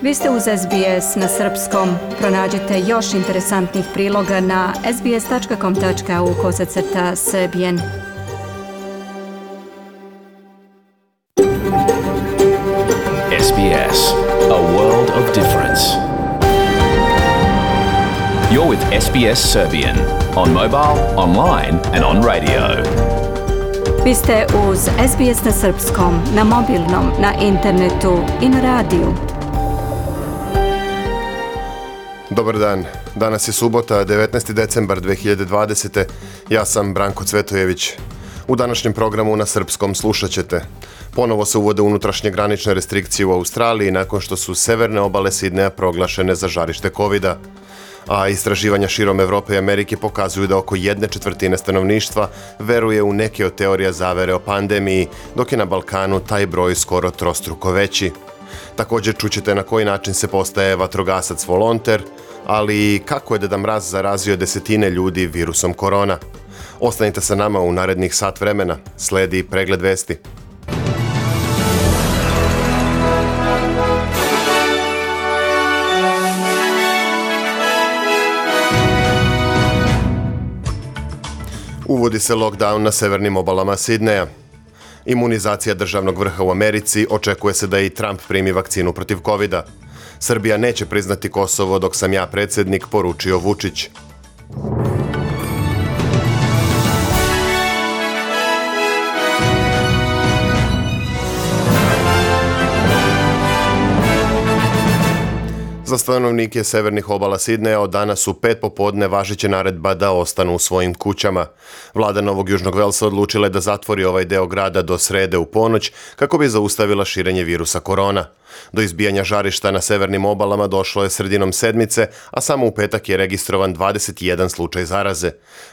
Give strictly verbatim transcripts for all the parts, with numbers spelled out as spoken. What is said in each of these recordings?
Vi ste uz S B S na srpskom. Pronađite još interesantnih priloga na sbs.com.au kosacrta srbijen. S B S, a world of difference. You're with S B S Serbian on mobile, online and on radio. Vi ste uz S B S na srpskom, na mobilnom, na internetu i na radiju. Dobar dan. Danas je subota, devetnaesti decembar dve hiljade dvadesete. Ja sam Branko Cvetojević. U današnjem programu na srpskom slušat ćete. Ponovo se uvode unutrašnje granične restrikcije u Australiji nakon što su severne obale Sidneja proglašene za žarište kovida. A istraživanja širom Evrope i Amerike pokazuju da oko jedne četvrtine stanovništva veruje u neke od teorija zavere o pandemiji, dok je na Balkanu taj broj skoro trostruko veći. Također čućete na koji način se postaje vatrogasac volonter, ali i kako je Deda Mraz zarazio desetine ljudi virusom korona. Ostanite sa nama u narednih sat vremena. Sledi pregled vesti. Uvodi se lockdown na severnim obalama Sidneja. Imunizacija državnog vrha u Americi, očekuje se da i Trump primi vakcinu protiv kovida. Srbija neće priznati Kosovo dok sam ja predsjednik, poručio Vučić. Za stanovnike severnih obala Sidneja od danas u pet popodne važeće naredba da ostanu u svojim kućama. Vlada Novog Južnog Velsa odlučila je da zatvori ovaj deo grada do srede u ponoć kako bi zaustavila širenje virusa korona. Do izbijanja žarišta na severnim obalama došlo je sredinom sedmice, a samo u petak je registrovan dvadeset jedan slučaj zaraze.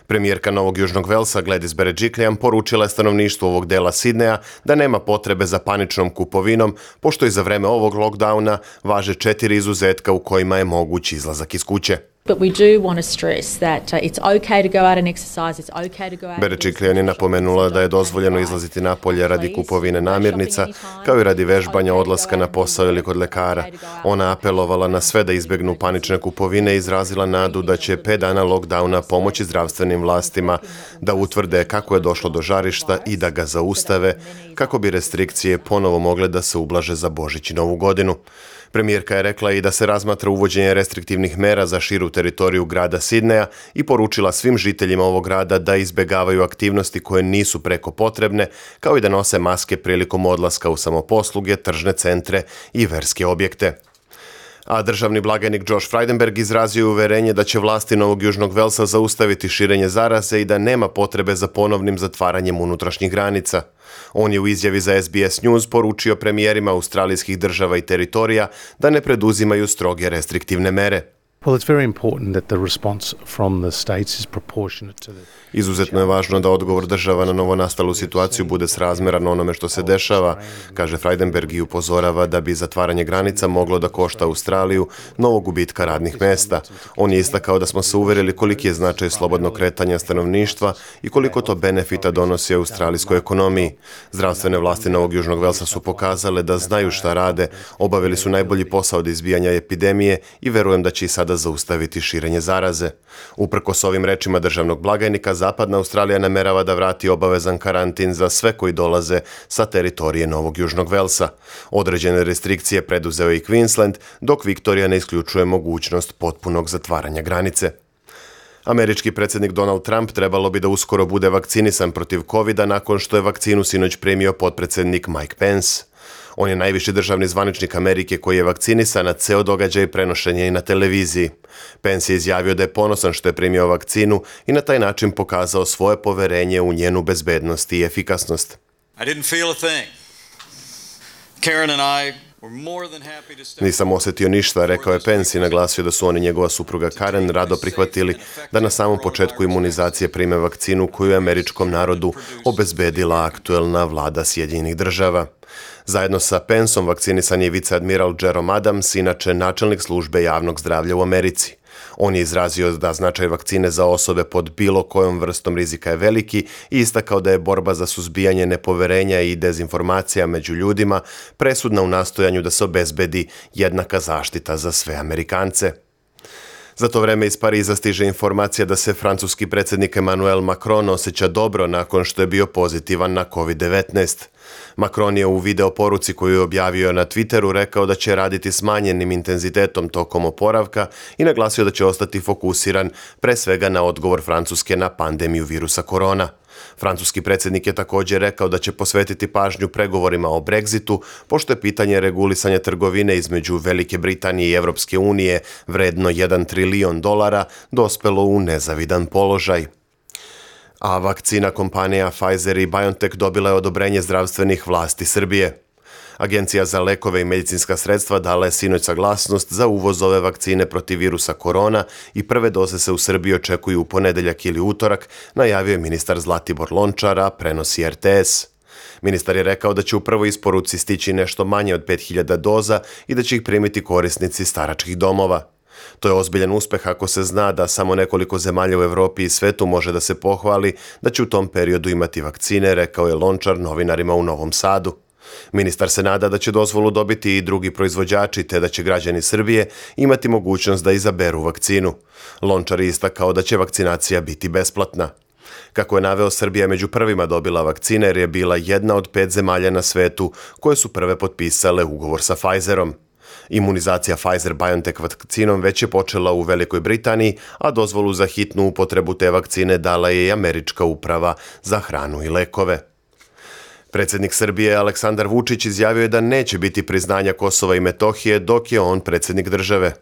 Premijerka Novog Južnog Velsa Gladys Berejiklian poručila je stanovništvu ovog dela Sidneja da nema potrebe za paničnom kupovinom, pošto i za vreme ovog lockdowna važe četiri izuzetka u kojima je moguć izlazak iz kuće. But we do want to stress that uh, it's okay to go out and exercise, it's okay to go out. Berejiklian je napomenula da je dozvoljeno izlaziti napolje radi kupovine namirnica, kao i radi vežbanja, odlaska na posao ili kod lekara. Ona apelovala na sve da izbjegnu panične kupovine i izrazila nadu da će pet dana lockdowna pomoći zdravstvenim vlastima da utvrde kako je došlo do žarišta i da ga zaustave, kako bi restrikcije ponovo mogle da se ublaže za Božić i Novu godinu. Premijerka je rekla i da se razmatra uvođenje restriktivnih mera za širu teritoriju grada Sidneja i poručila svim žiteljima ovog grada da izbjegavaju aktivnosti koje nisu preko potrebne, kao i da nose maske prilikom odlaska u samoposluge, tržne centre i verske objekte. A državni blagajnik Josh Frydenberg izrazio je uverenje da će vlasti Novog Južnog Velsa zaustaviti širenje zaraze i da nema potrebe za ponovnim zatvaranjem unutrašnjih granica. On je u izjavi za S B S News poručio premijerima australijskih država i teritorija da ne preduzimaju stroge restriktivne mere. Well, it's very important that the response from the states is proportionate to the... Izuzetno je važno da odgovor država na novonastalu situaciju bude srazmjeran onome što se dešava, kaže Frydenberg i upozorava da bi zatvaranje granica moglo da košta Australiju novog gubitka radnih mesta. On je istakao da smo se uverili koliki je značaj slobodnog kretanja stanovništva i koliko to benefita donosi australijskoj ekonomiji. Zdravstvene vlasti Novog Južnog Velsa su pokazale da znaju šta rade, obavili su najbolji posao od izbijanja epidemije i verujem da će i sada zaustaviti širenje zaraze. Uprkos ovim rečima državnog blagajnika, Zapadna Australija namerava da vrati obavezan karantin za sve koji dolaze sa teritorije Novog Južnog Velsa. Određene restrikcije preduzeo i Queensland, dok Viktorija ne isključuje mogućnost potpunog zatvaranja granice. Američki predsjednik Donald Trump trebalo bi da uskoro bude vakcinisan protiv kovida nakon što je vakcinu sinoć primio potpredsjednik Mike Pence. On je najviši državni zvaničnik Amerike koji je vakcinisan, a ceo događaj prenošen je i na televiziji. Pence je izjavio da je ponosan što je primio vakcinu i na taj način pokazao svoje poverenje u njenu bezbednost i efikasnost. I didn't feel a thing. Karen and I were more than happy to step... Nisam osjetio ništa, rekao je Pence i naglasio da su on i njegova supruga Karen rado prihvatili da na samom početku imunizacije prime vakcinu koju je američkom narodu obezbedila aktuelna vlada Sjedinjenih država. Zajedno sa Penceom vakcinisan je viceadmiral Jerome Adams, inače načelnik službe javnog zdravlja u Americi. On je izrazio da značaj vakcine za osobe pod bilo kojom vrstom rizika je veliki i istakao da je borba za suzbijanje nepoverenja i dezinformacija među ljudima presudna u nastojanju da se obezbedi jednaka zaštita za sve Amerikance. Za to vreme iz Pariza stiže informacija da se francuski predsjednik Emmanuel Macron osjeća dobro nakon što je bio pozitivan na kovid devetnaest. Macron je u video poruci koju je objavio na Twitteru rekao da će raditi smanjenim intenzitetom tokom oporavka i naglasio da će ostati fokusiran pre svega na odgovor Francuske na pandemiju virusa korona. Francuski predsjednik je također rekao da će posvetiti pažnju pregovorima o Brexitu, pošto je pitanje regulisanja trgovine između Velike Britanije i Europske unije vredno jedan trilion dolara dospelo u nezavidan položaj. A vakcina kompanija Pfizer i BioNTech dobila je odobrenje zdravstvenih vlasti Srbije. Agencija za lekove i medicinska sredstva dala je sinoć saglasnost za uvoz ove vakcine protiv virusa korona i prve doze se u Srbiji očekuju u ponedeljak ili utorak, najavio je ministar Zlatibor Lončar, a prenosi er te es. Ministar je rekao da će u prvoj isporuci stići nešto manje od pet hiljada doza i da će ih primiti korisnici staračkih domova. To je ozbiljan uspeh ako se zna da samo nekoliko zemalja u Evropi i svetu može da se pohvali da će u tom periodu imati vakcine, rekao je Lončar novinarima u Novom Sadu. Ministar se nada da će dozvolu dobiti i drugi proizvođači te da će građani Srbije imati mogućnost da izaberu vakcinu. Lončar je istakao da će vakcinacija biti besplatna. Kako je naveo, Srbija je među prvima dobila vakcine jer je bila jedna od pet zemalja na svetu koje su prve potpisale ugovor sa Pfizerom. Imunizacija Pfizer-BioNTech vakcinom već je počela u Velikoj Britaniji, a dozvolu za hitnu upotrebu te vakcine dala je i Američka uprava za hranu i lekove. Predsjednik Srbije Aleksandar Vučić izjavio je da neće biti priznanja Kosova i Metohije dok je on predsjednik države.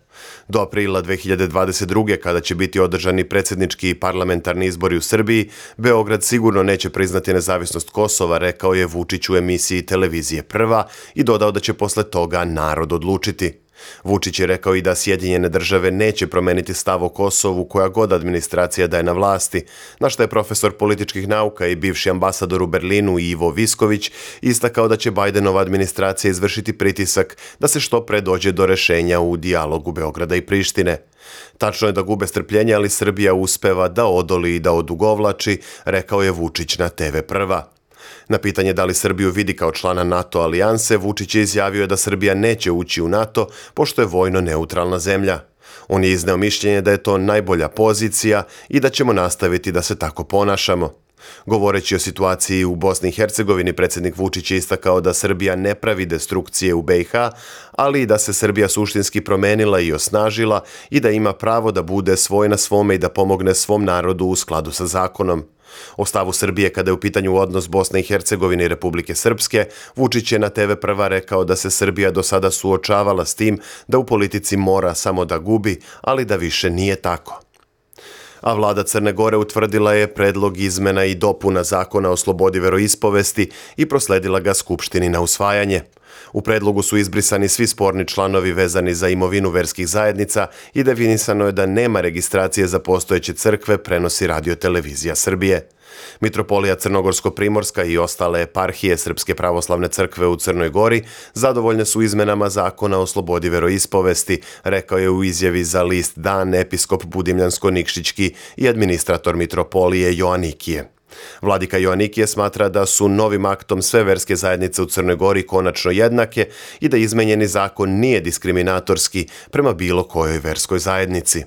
Do aprila dve hiljade dvadeset druge. kada će biti održani predsjednički i parlamentarni izbori u Srbiji, Beograd sigurno neće priznati nezavisnost Kosova, rekao je Vučić u emisiji televizije Prva i dodao da će posle toga narod odlučiti. Vučić je rekao i da Sjedinjene države neće promeniti stav o Kosovu koja god administracija da je na vlasti, na što je profesor političkih nauka i bivši ambasador u Berlinu Ivo Visković istakao da će Bajdenova administracija izvršiti pritisak da se što pre dođe do rešenja u dijalogu Beograda i Prištine. Tačno je da gube strpljenje, ali Srbija uspeva da odoli i da odugovlači, rekao je Vučić na te ve Prva. Na pitanje da li Srbiju vidi kao člana NATO alijanse, Vučić je izjavio da Srbija neće ući u NATO pošto je vojno neutralna zemlja. On je izneo mišljenje da je to najbolja pozicija i da ćemo nastaviti da se tako ponašamo. Govoreći o situaciji u Bosni i Hercegovini, predsjednik Vučić je istakao da Srbija ne pravi destrukcije u be i ha, ali i da se Srbija suštinski promenila i osnažila i da ima pravo da bude svoj na svome i da pomogne svom narodu u skladu sa zakonom. O stavu Srbije kada je u pitanju odnos Bosne i Hercegovine i Republike Srpske, Vučić je na te ve Prva rekao da se Srbija do sada suočavala s tim da u politici mora samo da gubi, ali da više nije tako. A vlada Crne Gore utvrdila je predlog izmena i dopuna zakona o slobodi veroispovesti i prosledila ga Skupštini na usvajanje. U predlogu su izbrisani svi sporni članovi vezani za imovinu verskih zajednica i definisano je da nema registracije za postojeće crkve, prenosi Radio televizija Srbije. Mitropolija Crnogorsko-Primorska i ostale eparhije Srpske pravoslavne crkve u Crnoj Gori zadovoljne su izmenama zakona o slobodi veroispovesti, rekao je u izjavi za list Dan episkop Budimljansko-Nikšićki i administrator mitropolije Joanikije. Vladika Joanikije smatra da su novim aktom sve verske zajednice u Crnoj Gori konačno jednake i da izmenjeni zakon nije diskriminatorski prema bilo kojoj verskoj zajednici.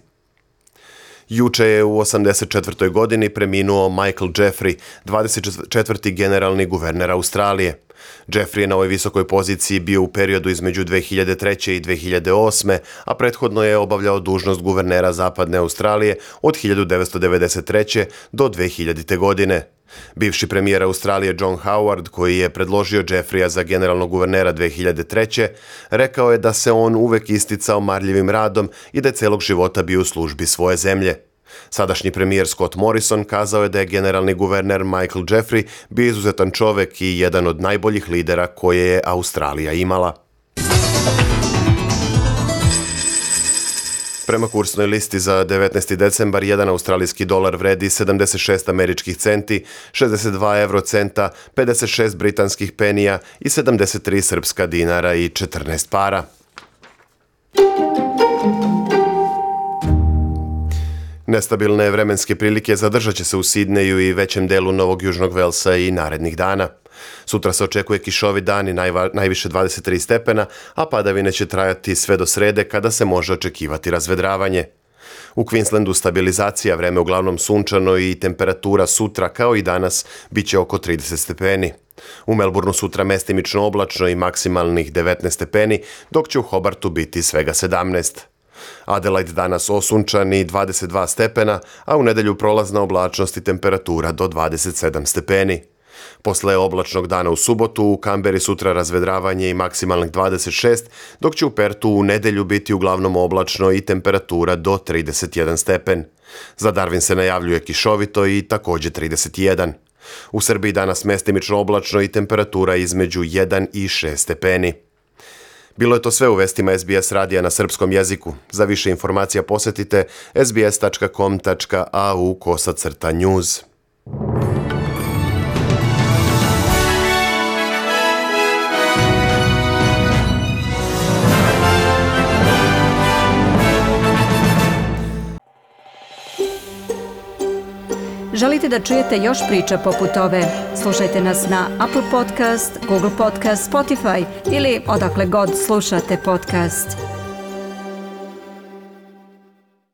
Juče je u osamdeset četvrtoj godini preminuo Michael Jeffrey, dvadeset četvrti generalni guverner Australije. Jeffrey je na ovoj visokoj poziciji bio u periodu između dve hiljade treće i dve hiljade osme, a prethodno je obavljao dužnost guvernera Zapadne Australije od hiljadu devetsto devedeset treće. do dve hiljadite. godine. Bivši premijer Australije John Howard, koji je predložio Jeffreya za generalnog guvernera dve hiljade treće. rekao je da se on uvek isticao marljivim radom i da je celog života bio u službi svoje zemlje. Sadašnji premijer Scott Morrison kazao je da je generalni guverner Michael Jeffrey bio izuzetan čovek i jedan od najboljih lidera koje je Australija imala. Prema kursnoj listi za devetnaesti decembar, jedan australijski dolar vredi sedamdeset šest američkih centi, šezdeset dva evrocenta, pedeset šest britanskih penija i sedamdeset tri srpska dinara i četrnaest para. Nestabilne vremenske prilike zadržat će se u Sidneju i većem delu Novog Južnog Velsa i narednih dana. Sutra se očekuje kišovi dan i najva, najviše dvadeset tri stepena, a padavine će trajati sve do srede kada se može očekivati razvedravanje. U Queenslandu stabilizacija, vreme uglavnom sunčano i temperatura sutra kao i danas bit će oko trideset stepeni. U Melbourneu sutra mestimično oblačno i maksimalnih devetnaest stepeni, dok će u Hobartu biti svega sedamnaest. Adelaide danas osunčan i dvadeset dva stepena, a u nedelju prolazna oblačnost i temperatura do dvadeset sedam stepeni. Posle oblačnog dana u subotu u Kamberi sutra razvedravanje i maksimalnih dvadeset šest, dok će u Pertu u nedelju biti uglavnom oblačno i temperatura do trideset jedan stepen. Za Darwin se najavljuje kišovito i također trideset jedan. U Srbiji danas mestimično oblačno i temperatura između jedan i šest stepeni. Bilo je to sve u vestima S B S radija na srpskom jeziku. Za više informacija posjetite sbs tačka com tačka a u kosacrta news. Želite da čujete još priča poput ove? Slušajte nas na Apple Podcast, Google Podcast, Spotify ili odakle god slušate podcast.